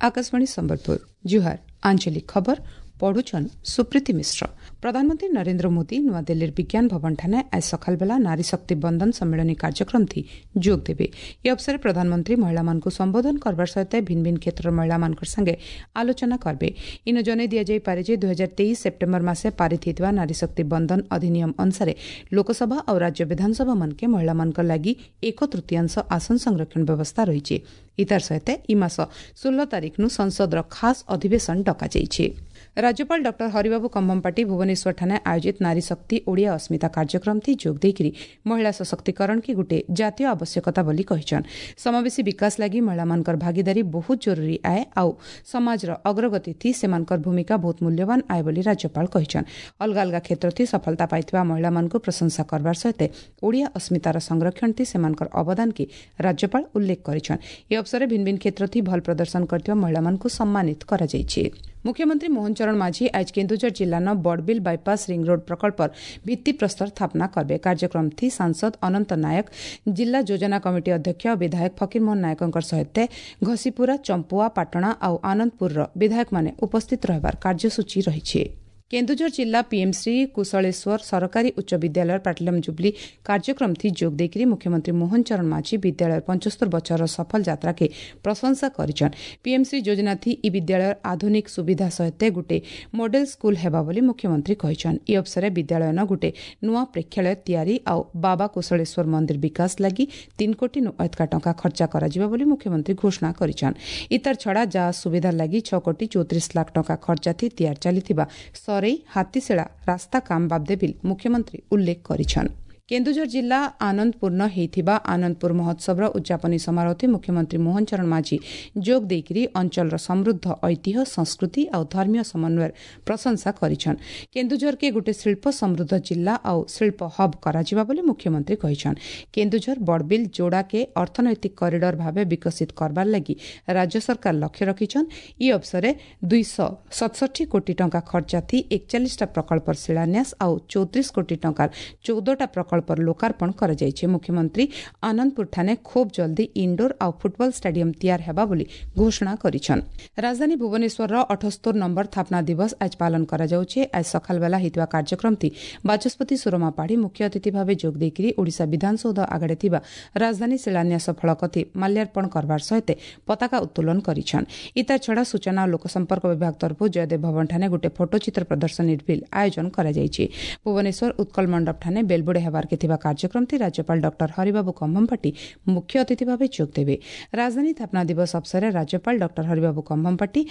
आकाशवाणी संबलपुर जुहार आंचलिक खबर पढ़ुछन सुप्रीति मिश्र। प्रधानमंत्री नरेंद्र मोदी नूआदिल्लीर विज्ञान भवन ठाने आज सकालबेला नारी शक्ति बंधन सम्मेलनी कार्यक्रम थी जोग देवे। ए अवसर प्रधानमंत्री महिला मानकु संबोधन करबार सहित भिन्न भिन्न क्षेत्र महिला मानकर संगे आलोचना करबे। इन जनाई दिया जाई पारे जे 2023 सेप्टेम्बर मासे पारित होइतबा नारी शक्ति बंधन अधिनियम अनुसार लोकसभा और राज्य विधानसभा मानके महिला मानकर लागि एक तृतीयांश आसन संरक्षण व्यवस्था रहिछि। इतार सहित इ मास 16 तारीख नु संसदर खास अधिवेशन डका जाइछि। राज्यपाल डॉक्टर हरिबाबू कम्भमपाटी भुवनेश्वर ठाने आयोजित नारी शक्ति ओडिया अस्मिता कार्यक्रम थी जोग देइकरी महिला सशक्तिकरण की गुटे जातीय आवश्यकता बोली कहिछन। समावेशी विकास लागि महिला मानकर भागीदारी बहुत जरूरी आए आउ समाजर अग्रगति थी सेमानकर भूमिका बहुत मूल्यवान आए बोली राज्यपाल कहिछन। अलगा अलगा क्षेत्र थी सफलता पाइथिबा महिला मानकु प्रशंसा करबार सहित ओडिया अस्मितार संरक्षण थी सेमानकर अवदान की राज्यपाल उल्लेख करिछन। ए अवसरे भिन्न भिन्न क्षेत्र थी भल प्रदर्शन करथिबा महिला मानकु सम्मानित करा जाइछि। मुख्यमंत्री मोहन चरण माझी आज केन्दुझर जिल्लार बड़बिल बाईपास रिंग रोड प्रकल्पर भित्तिप्रस्तर स्थापना करबे। कार्यक्रम थी सांसद अनंत नायक, जिला योजना कमिटी अध्यक्ष विधायक फकीरमोहन नायकଙ୍କ सहित घसीपुरा, चंपुआ, पाटणा आउ आनंदपुरर विधायक माने उपस्थित रहबार कार्यसूची रहिछि। केन्दुझर जिला पीएमश्री कुशलेश्वर सरकारी उच्च विद्यालय प्लाटिनम जुबली कार्यक्रम थी जोग देइकरी मुख्यमंत्री मोहन चरण माझी विद्यालय 75 बछर सफल यात्रा के प्रशंसा करिछन। पीएमश्री योजना थी इ विद्यालय आधुनिक सुविधा सहित गुटे मॉडल स्कूल हेबा बोली मुख्यमंत्री कहिछन। इ अवसरे विद्यालय न गुटे नुआ प्रेक्षालय तयारी आउ बाबा कुशलेश्वर मंदिर विकास लागि 3 कोटी नु अधिका टंका खर्चा कराजिबा बोली मुख्यमंत्री घोषणा करिछन। इतर छड़ा जा सुविधा लागि 6 कोटी 34 लाख टंका खर्चा थी तयार चालिथिबा हाथीशिला रास्ता काम बाबदे बिल मुख्यमंत्री उल्लेख करिछन। केन्दुझर जिला आनंदपुर न हेइथिबा आनंदपुर महोत्सवर उद्यापनी समारोह मुख्यमंत्री मोहन चरण माझी जोग देइकरी अंचलर समृद्ध ऐतिह्य, संस्कृति आउ धर्मीय समन्वयर प्रशंसा करिछन। केन्दुझर के गुटे शिल्प समृद्ध जिला आउ शिल्प हब कराजिबा बोली मुख्यमंत्री कहिछन। केन्दुझर बड़बिल जोड़ा के अर्थनैतिक कॉरिडोर भावे विकसित करबार लागि राज्य सरकार लक्ष्य रखिछन। इ अवसरे 267 कोटी टंका खर्चा थी 41टा प्रकल्पर शिलान्यास आउ 34 कोटी टंकार 14टा प्रकल्प पर लोकार्पण କରାଯାଇଛି। मुख्यमंत्री आनंदपुर ठाने खूब जल्दी इंडोर आउ फुटबॉल स्टेडियम तैयार हेबा बोली घोषणा करिछन। राजधानी भुवनेश्वर 78 नंबर स्थापना दिवस आज पालन कराଯାଉଛି। आज सकालबेला हेतुआ कार्यक्रम थी बाचस्पति सुरमा पाढ़ी मुख्य अतिथि भावे जोग देइकरी ओडिशा विधानसौध आगड़े थिबा राजधानी शिलान्यास फलक थी माल्यार्पण करबार सहित पताका उत्तोलन करिछन। इता छड़ा सूचना और लोकसंपर्क विभाग तरफु जयदेव भवन ठाने गुटे फोटोचित्र प्रदर्शनी बिल आयोजन कराଯାଇଛି। भुवनेश्वर उत्कल मंडप ठाने बेलबुड़े हेबार के थिबा कार्यक्रम थी राज्यपाल डॉक्टर हरिबाबू कम्भमपाटी मुख्य अतिथि भावे जोग देवे। राजधानी स्थापना दिवस अवसरे राज्यपाल डॉक्टर हरिबाबू कम्भमपाटी,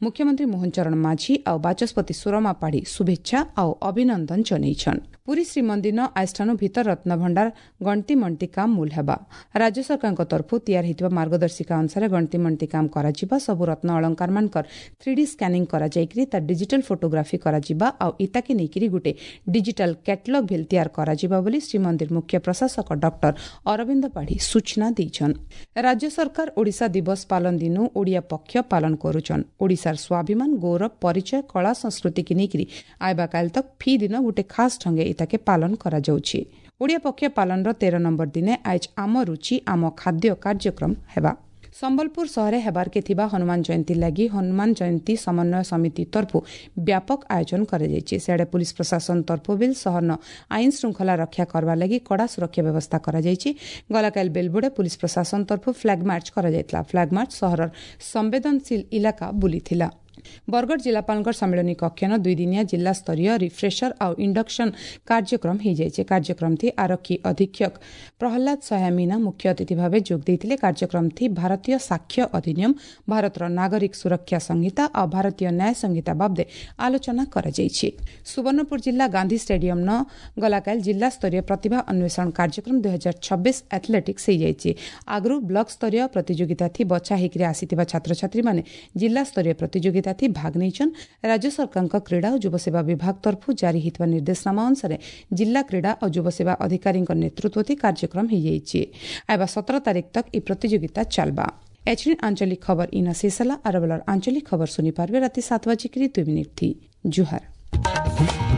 मुख्यमंत्री मोहन चरण माझी आउ बाचस्पति सुरमा पाढ़ी शुभेच्छा आउ अभिनंदन जनाइछन। पुरी श्रीमंदिर आजठानु भीतर रत्न भंडार गणती मणती काम मूल हेबा। राज्य सरकारଙ୍କ तरफु तयार हेतुवा मार्गदर्शिका अनुसार गणती मणती काम कराजिबा। सबु रत्न अलंकार मानकर 3D scanning कराजाइकरी तार डिजिटल फोटोग्राफी कराजिबा आउ इताके नेइकरी गुटे डिजिटल कैटलॉग भेल तयार कराजिबा बोली श्रीमंदिर मुख्य प्रशासक डॉक्टर अरविंद पाढ़ी सूचना देइछन। राज्य सरकार ओडिशा दिवस पालन दिनु ओडिया पक्ष पालन करुछन। ओडिशार स्वाभिमान, गौरव, परिचय, कला, संस्कृति की नेइकरी आइबा काल तक फी दिन गुटे खास ढंगे इताके पालन कराजाउछि। ओडिया पक्ष पालनर 13 नंबर दिने आज आम रुचि आम खाद्य कार्यक्रम हेबा। संबलपुर सहरे हेबार के थिबा हनुमान जयंती लागि हनुमान जयंती समन्वय समिति तरफु व्यापक आयोजन कराଯାଇଛି। सियाडे पुलिस प्रशासन तरफु बिल सहरन आइन श्रृंखला रक्षा करबा लागि कड़ा सुरक्षा व्यवस्था कराଯାଇଛି। गलाकाल बेलबुड़े पुलिस प्रशासन तरफु फ्लैग मार्च कराଯାଇଥିଲା। फ्लैग मार्च सहरर संवेदनशील इलाका बुलिथिला। बरगढ़ जिलापालଙ୍କ सम्मेलनी कक्षन 2 दिनिया जिला स्तरीय रिफ्रेशर आउ इंडक्शन कार्यक्रम ହେଇଯାଇଛି। कार्यक्रम थी आरक्षी अधीक्षक प्रहलाद सहाय मीना मुख्य अतिथि भावे जोग देइथिले। कार्यक्रम थी भारतीय साक्ष्य अधिनियम, भारतर नागरिक सुरक्षा संहिता आउ भारतीय न्याय संहिता बाबदे आलोचना କରାଯାଇଛି। सुवर्णपुर जिला गांधी स्टेडियम न गलाकाल जिला स्तरीय प्रतिभा अन्वेषण कार्यक्रम 2026 एथलेटिक्स ହେଇଯାଇଛି। आगरू ब्लक स्तरीय प्रतियोगिता थी बछा हेकरी आसीथिबा छात्रछात्री माने जिला स्तरीय प्रतियोगिता थी भाग नेइछन। राज्य सरकारଙ୍କ क्रीड़ा और युवसेवा विभाग तरफु जारी हेतुवा निर्देशनामा अनुसार जिला क्रीड़ा और युवसेवा अधिकारीଙ୍କ नेतृत्व थी कार्यक्रम ହେଇଯାଇଛି। आइबा 17 तारीख तक इ प्रतियोगिता चालबा। एछिन आंचलिक खबर इन शेष होला। आरबलर आंचलिक खबर सुनि पारबे राति 7:02 थी। जुहार।